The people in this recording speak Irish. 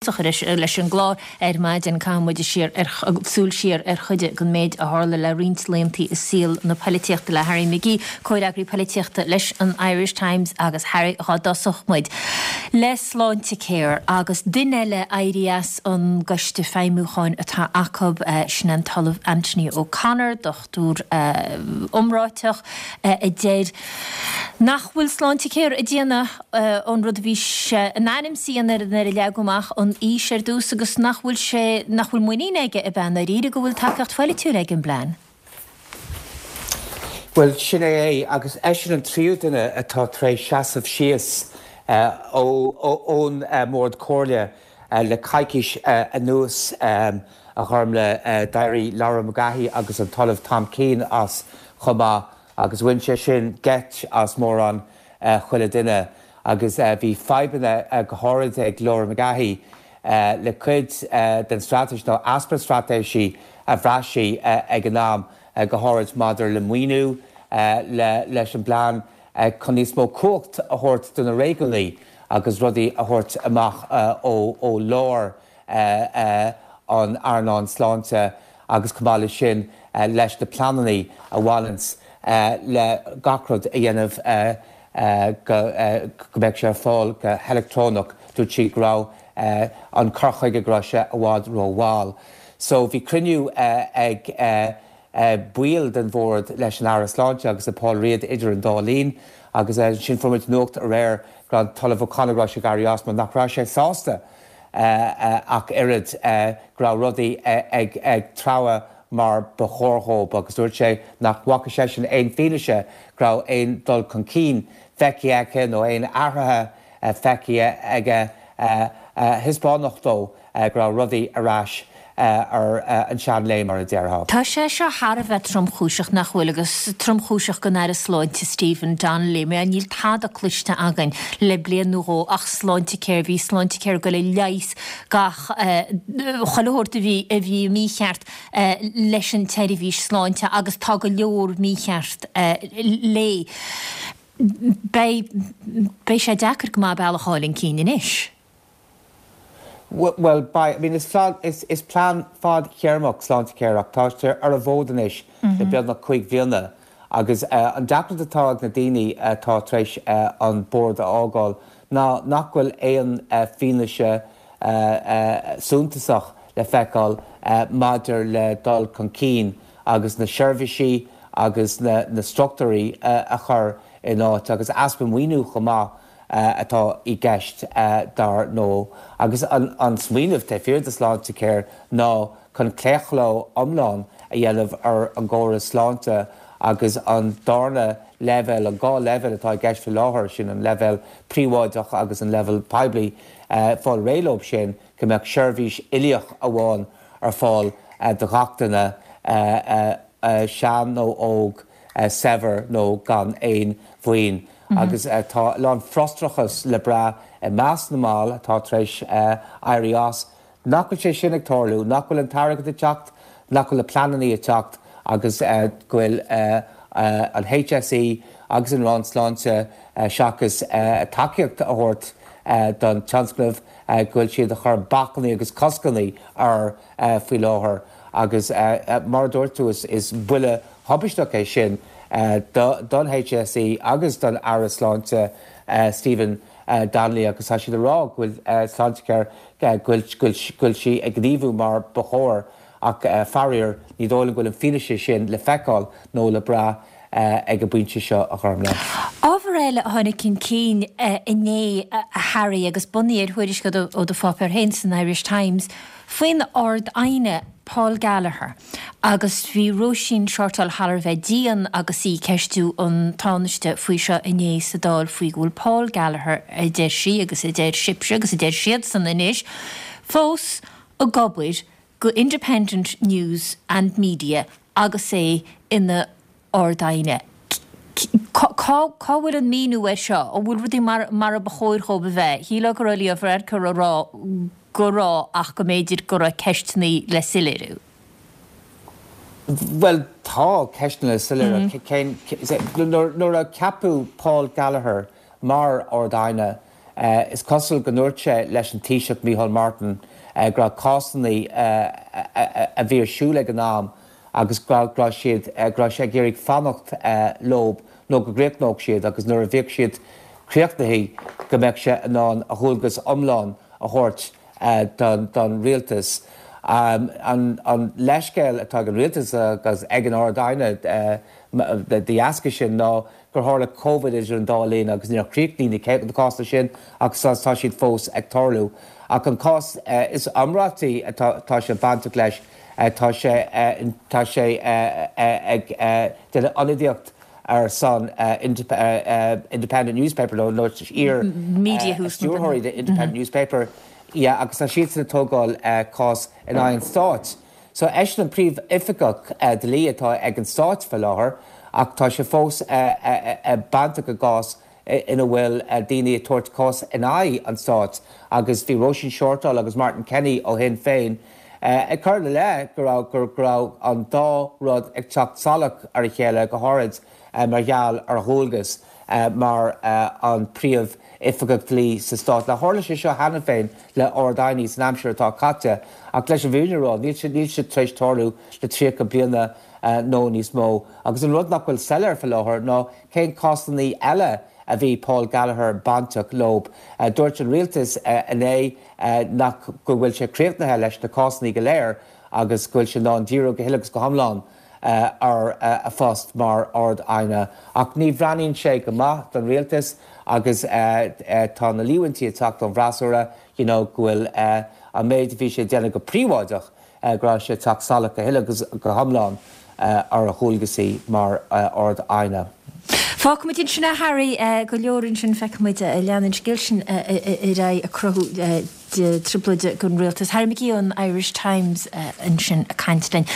Leis an gclár ar maidin, caithfidh muid siar ar súil siar ar chuid den méid a tharla le roinnt laethanta i saol na poilitíochta le Harry McGee, comhfhreagraí poilitíochta leis an Irish Times agus Harry, dhá dtosódh muid le Sláintecare agus duine eile éirí as an gcoiste feidhmiúcháin atá acu, sin an tOllamh Anthony O'Connor, dochtúir iomráiteach a deir nach bhfuil Sláintecare ag déanamh an rud a bhí sé in ainm is a dhéanamh nuair a leagadh amach an fhís ar dtús agus nach bhfuil sé, nach bhfuil muinín aige ab ea i ndáiríre go bhfuil tacaíocht pholaitiúil ag an bplean. Bhuel, sin é é, agus eisean an tríú duine atá tar éis seasamh síos ón mBord Comhairle le coicís anuas, a Ghormlaith. D'éirigh Laura McGahey agus an tOllamh Tom Keane as chomh maith agus bhain sé sin geit as mórán chuile duine agus bhí fadhbanna go háirid ag Laura McGahey le cuid den straitéis nó easpa straitéisí a bhraith sí ag an am, go háirid maidir le maoiniú, leis an bplean chun níos mó cumhacht a thabhairt do na réigiúnaí agus rudaí a thabhairt amach ó lár an earnáil sláinte agus chomh maith leis sin leis na pleananna a bhaineanns le gach rud a dhéanamh go mbeadh sé ar fáil go heileactrónach. Dúirt sí go raibh an cur chuige go raibh sé i bhfad ró-mhall. So bhí cruinniú ag baill den bhord leis an Aire Sláinte agus le Paul Riada idir an dá linn agus ansin fuair muid nuacht aréir go raibh an tOllamh O'Connor go raibh sé ag éirí as mar nach raibh sé sásta ach oiread go raibh rudaí ag treabhadh mar ba chóir dhóibh agus dúirt sé nach bhfaca seisean aon fianaise go raibh aon dul chun cinn feicthe aige nó aon athruithe feicthe aige a thaispeánfadh dó go raibh rudaí ar ais ar an seanléim, mar a déarfá. Tá sé seo thar a bheith tromchúiseach, nach bhfuil, agus tromchúiseach don Aire Sláinte Stephen Donnelly, mar níl tada cloiste againn le bliain nó dhó ach Sláintecare. Bhí Sláintecare ag goil a leigheas gach chuile shórt a bhí a bhí mícheart leis an tseirbhís sláinte agus tá go leor mícheart léi. Beidh beidh sé deacair go maith bealach a fháil chun cinn anois. Bhuel, beidh. I mean, is is plean fadtéarmach Sláintecare ach tá sé ar an bhfód anois le beagnach 5 bhliana agus an deacracht atá ag na daoine atá tar éis an bord a fhágáil ná nach bhfuil aon fianaise suntasach le feiceáil maidir le dul chun cinn agus na seirbhísí agus na struchtúirí a chur in áit agus easpa maoiniú chomh maith. atá i gceist, dar ndóigh. Agus an smaoineamh taobh thiar de Sláintecare ná chun claochló iomlán a dhéanamh ar an gcóras sláinte agus an darna leibhéal, an dhá leibhéal atá i gceist faoi láthair, sin an leibhéal príobháideach agus an leibhéal poiblí, fáil réidh leo sin, go mbeadh seirbhís uilíoch amháin ar fáil do ghach duine, sean nó óg, saibhir nó gan aon mhaoin. Agus tá a lán frustrachas le brath i measc na mball atá tar éis éirí as, nach bhfuil sé sin ag tarlú, nach bhfuil an t-airgead ag teacht, nach bhfuil na pleananna ag teacht agus go bhfuil an HSE agus an Roinn Sláinte, seachas tacaíocht a thabhairt don tionscnamh, go bhfuil siad ag cur bacainní agus coscanna air faoi láthair. Agus mar a dúirt tú, is buille thubaisteach é sin don HSE agus don Aire Sláinte Stephen Donnelly agus tá siad ag rá go bhfuil Sláintecare, go bhfuil sí ag gníomhú mar ba chóir ach faraor ní dóigh liom go bhfuil an fianaise sin le feiceáil nó le brath ag an bpointe seo, a Ghormlaith. Ábhar eile a tháinig chun cinn inné, a Harry, agus bunaithe ar thuairisc ó do pháipéar féin san Irish Times, faoin Ard-Aighne Paul Gallagher agus bhí Róisín Shortall thar a bheith dian agus í ag ceistiú an Tánaiste faoi seo inné sa Dáil faoi go bhfuil Paul Gallagher, a deir sí agus a deir sibhse agus a deir siadsan anois, fós ag obair go Independent News and Media agus é ina Ard-Aighne. Cá bhfuil an míniú air seo? An bhfuil rudaí mar a ba chóir dhóibh a bheith? Shílfeá go raibh Leo Varadkar ag rá go raibh ach go mb'fhéidir go raibh ceisteanna le soiléiriú. Bhuel, tá ceisteanna le soiléiriú. Cén, nuair a ceapadh Paul Gallagher mar Ard-Aighne. Is cosúil go ndúirt sé leis an Taoiseach Micheál Martin go raibh cásanna a bhí ar siúl ag an am agus go raibh siad, go raibh sé ag iarraidh fanacht leob nó go gcríochnódh siad agus nuair a bheadh siad críochnaithe go mbeadh sé in ann a dhualgas iomlán a thabhairt don rialtas. An leithscéal atá ag an rialtas agus ag an Ard-Aighne de dheasca sin ná gur tharla Covid idir an dá linn agus níor chríochnaigh na cásanna sin agus tá siad fós ag tarlú. Ach an cás is iomráití atá sé bainteach leis, tá sé tá sé ag déanamh ionadaíocht ar son Independent Newspaper nó iar stiúrthóirí de Independent Newspaper yeah agus tá siadsan ag tógáil cás in aghaidh an stáit. So eisean an príomh-oifigeach dlí atá ag an stáit faoi láthair ach tá sé fós bainteach i gcás ina bhfuil daoine ag tabhairt cás in aghaidh an stáit agus bhí Róisín Shortall agus Martin Kenny ó Shinn Féin ag cur ina leith go raibh go raibh an dá rud ag teacht salach ar a chéile go háirid mar gheall ar a dhualgas mar an príomh-oifigeach dlí sa stát. Now tharla sé seo cheana féin le Ard-Aighní san aimsir atá caite ach leis an bhfírinne a rá níl sé níl sé tar éis tarlú le 30 bliana nó níos mó. Agus an rud nach bhfuil soiléir faoi láthair ná cén cásanna eile a bhí Paul Gallagher bainteach leob. Dúirt an rialtas inné nach go bhfuil sé críochnaithe leis na cásanna go léir agus go bhfuil sé in ann díriú go huile agus go hiomlán ar a phost mar Ard-Aighne. Ach ní bhreathnaíonn sé go maith don rialtas agus tá na líomhaintí ag teacht ón bhfreasúra you know go bhfuil an méid a bhí sé ag déanamh go príobháideach go raibh sé ag teacht salach go huile agus go hiomlán ar a dhualgasaí mar Ard-Aighne. Fágfaimid ansin é Harry, go leor ansin, feicfimid an leanann an scéal sin ar aghaidh ag cruthú trioblóide don rialtas. Harry McGee ón Irish Times ansin ag caint linn.